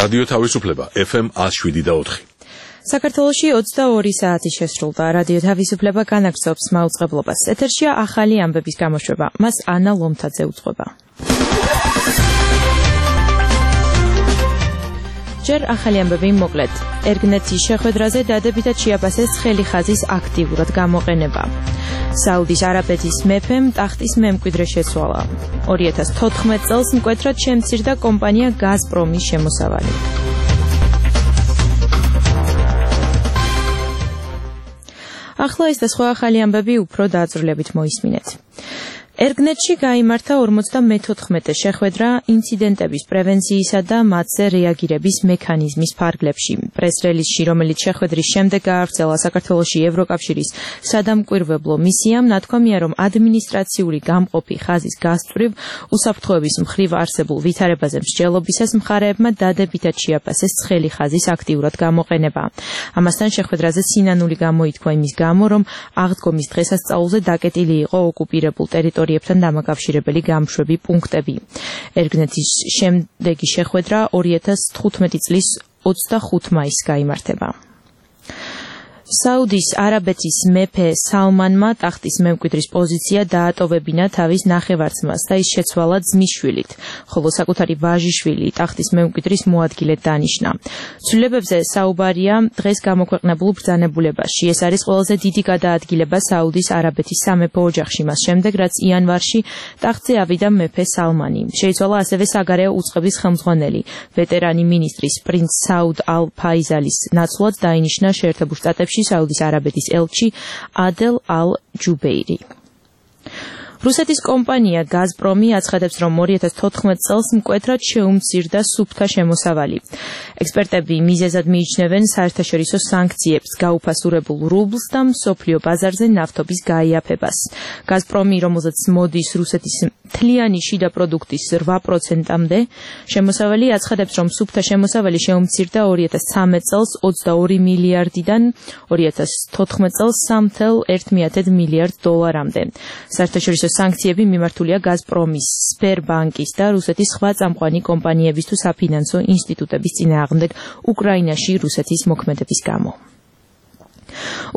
რადიო თავისუფლება FM 107.4. საქართველოში 22 საათი შესრულდა. რადიო თავისუფლება განაგრძობს მაუწყებლობას. ეთერშია ახალი ამბების გამოშვება. მას ანა ლომთაძე უძღვება. ჯერ ახალი ამბები მოკლედ. ერგნეთის შეხვედრაზე დადებითად შეაფასეს ცხელი ხაზის აქტიურად გამოყენება. საუდის არაბეთის მეფემ ტახტის მემკვიდრე შეცვალა. 2014 წელს მკვეთრად შემცირდა კომპანია გაზპრომის შემოსავალი. ახლა ეს და სხვა ახალი ამბები უფრო დაძრულებით მოისმინეთ. ერგნეთში გაიმართა 54 შეხვედრა ინციდენტების პრევენციისა და მათზე რეაგირების მექანიზმის ფარგლებში. პრეს-რელიზში, რომელიც შეხვედრის შემდეგ გაავრცელა საქართველოში ევროკავშირის სადამკვირვებლო მისიამ, ნათქვამია, რომ ადმინისტრაციული გამყოფი ხაზის გასწვრივ უსაფრთხოების მხრივ არსებულ ვითარებაზე მსჯელობისას მხარეებმა დადებითად შეაფასეს ცხელი ხაზის აქტიურად გამოყენება. ამასთან შეხვედრაზე სინანული გამოითქვა იმის გამო, რომ აღდგომის დღესასწაულზე დაკეტილი იყო ოკუპირებულ ტერიტორიებთან დამაკავშირებელი გამშვები პუნქტები. ერგნეთის შემდეგი შეხვედრა 2015 წლის 25 მაისს გაიმართება. საუდის არაბეთის მეფე სალმანმა ტახტის მემკვიდრის პოზიცია დაატოვებინა თავის ნახევარ-ძმას და ის შეცვალა ძმისშვილით, ხოლო საკუთარი ვაჟიშვილი ტახტის მემკვიდრის მოადგილედ დანიშნა. ცვლილებებზე საუბარია დღეს გამოქვეყნებულ ბრძანებულებაში. ეს არის ყველაზე დიდი გადაადგილება საუდის არაბეთის სამეფო ოჯახში, მას შემდეგ, რაც იანვარში ტახტზე ავიდა მეფე სალმანი. შეიცვალა ასევე საგარეო უწყების ხელმძღვანელი, ვეტერანი მინისტრის პრინც საუდ ალ-ფაიზალის ნაცვლად დაინიშნა შეერთებულ შტატებში საუდის არაბეთის ელჩი ადელ ალ-ჯუბეირი. რუსეთის კომპანია გაზპრომი აცხადებს, რომ 2014 წელს მკვეთრად შეუმცირდა სუფთა შემოსავალი. ექსპერტები მიზეზად მიიჩნევენ საერთაშორისო სანქციებს, გაუფასურებულ რუბლს და მსოფლიო ბაზარზე ნავთობის გაიაფებას. გაზპრომი, რომელზეც მოდის რუსეთის მთლიანი შიდა პროდუქტის 8%-მდე შემოსავალი, აცხადებს, რომ სუფთა შემოსავალი შეუმცირდა 2013 წელს 22 მილიარდიდან 2014 წელს 3,1 მილიარდ დოლარამდე. საერთაშორისო სანქციები მიმართულია გაზპრომის, სბერბანკის და რუსეთის სხვა წამყვანი კომპანიების თუ საფინანსო ინსტიტუტების წინააღმდეგ უკრაინაში რუსეთის მოქმედების გამო.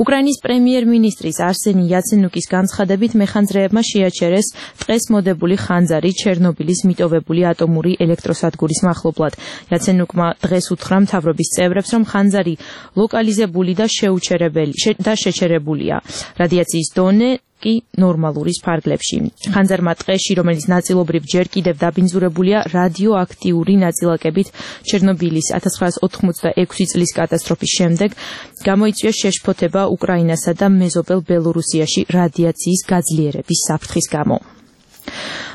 უკრაინის პრემიერ-მინისტრის არსენი იაცენუკის განცხადებით მეხანძრეებმა შეაჩერეს ტყეს მოდებული ხანძარი ჩერნობილის მიტოვებული ატომური ელექტროსადგურის მახლობლად. იაცენუკმა დღეს უთხრა მთავრობის წევრებს, რომ ხანძარი ლოკალიზებული და შეჩერებულია. რადიაციის დონე კი ნორმალურის ფარგლებში. ხანძარმა ტყეში, რომელიც ნაწილობრივ ჯერ კიდევ დაბინძურებულია რადიოაქტიური ნაწილაკებით ჩერნობილის 1986 წლის კატასტროფის შემდეგ, გამოიწვია შეშფოთება უკრაინასა და მეზობელ ბელორუსიაში რადიაციის გაძლიერების საფრთხის გამო.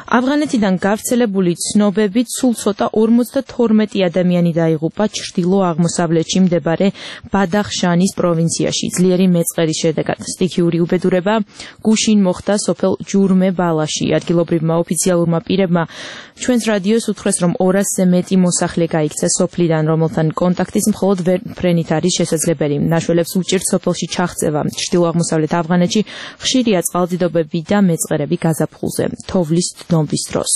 ავღანეთიდან გავრცელებული ცნობებით სულ ცოტა 52 ადამიანი დაიღუპა ჩრდილო-აღმოსავლეთში მდებარე ბადახშანის პროვინციაში ძლიერი მეწყერის შედეგად. სტიქიური უბედურება გუშინ მოხდა სოფელ ჯურმე-ბალაში. ადგილობრივმა ოფიციალურმა პირებმა ჩვენს რადიოს უთხრეს, რომ 200-ზე მეტი მოსახლე გაიქცა სოფლიდან, რომელთან კონტაქტის მხოლოდ ვერფრენით არის შესაძლებელი. ნაშველებს უჭირთ სოფელში ჩაღწევა. ჩრდილო-აღმოსავლეთ ავღანეთში ხშირია წყალდიდობები და მეწყერები გაზაფხულზე. თოვლის დნობის დროს.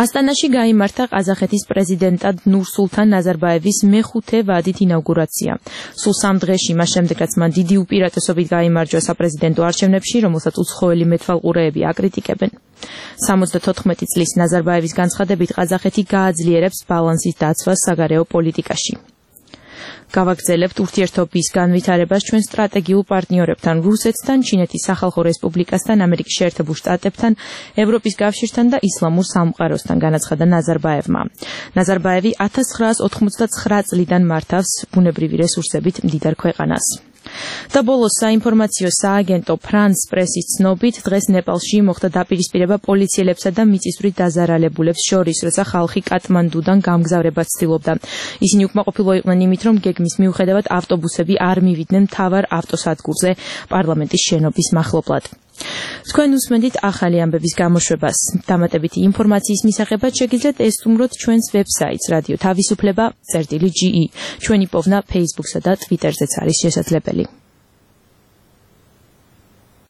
ასტანაში გაიმართა ყაზახეთის პრეზიდენტად ნურსულთან ნაზარბაევის მეხუთე ვადით ინაუგურაცია. სულ 3 დღეში, მას შემდეგ, რაც მან დიდი უპირატესობით გაიმარჯვა საპრეზიდენტო არჩევნებში, რომელსაც უცხოელი მეტვალყურეები აკრიტიკებენ. 74 წლის ნაზარბაევის განცხადებით ყაზახეთი გააძლიერებს ბალანსის დაცვას საგარეო პოლიტიკაში. გავაგრძელებთ ურთიერთობის განვითარებას ჩვენ სტრატეგიულ პარტნიორებთან, რუსეთთან, ჩინეთის სახალხო რესპუბლიკასთან, ამერიკის შეერთებულ შტატებთან, ევროპის კავშირთან და ისლამურ სამყაროსთან, განაცხადა ნაზარბაევმა. ნაზარბაევი 1989 წლიდან მართავს ბუნებრივი რესურსებით მდიდარ ქვეყანას. და ბოლოს საინფორმაციო სააგენტო ფრანს პრესის ცნობით დღეს ნეპალში მოხდა დაპირისპირება პოლიციელებსა და მიწისძვრით დაზარალებულებს შორის, როცა ხალხი კატმანდუდან გამგზავრებას ცდილობდა. ისინი უკმაყოფილო იყვნენ იმით, რომ გეგმის მიუხედავად ავტობუსები არ მივიდნენ მთავარ ავტოსადგურზე პარლამენტის შენობის მახლობლად. თქვენ უსმენთ ახალი ამბების გამოშვებას. დამატებითი ინფორმაციის მისაღებად შეგიძლიათ ესტუმროთ ჩვენს ვებსაიტს რადიო თავისუფლება.ge. ჩვენი პოვნა Facebook-სა და Twitter-ზეც არის შესაძლებელი.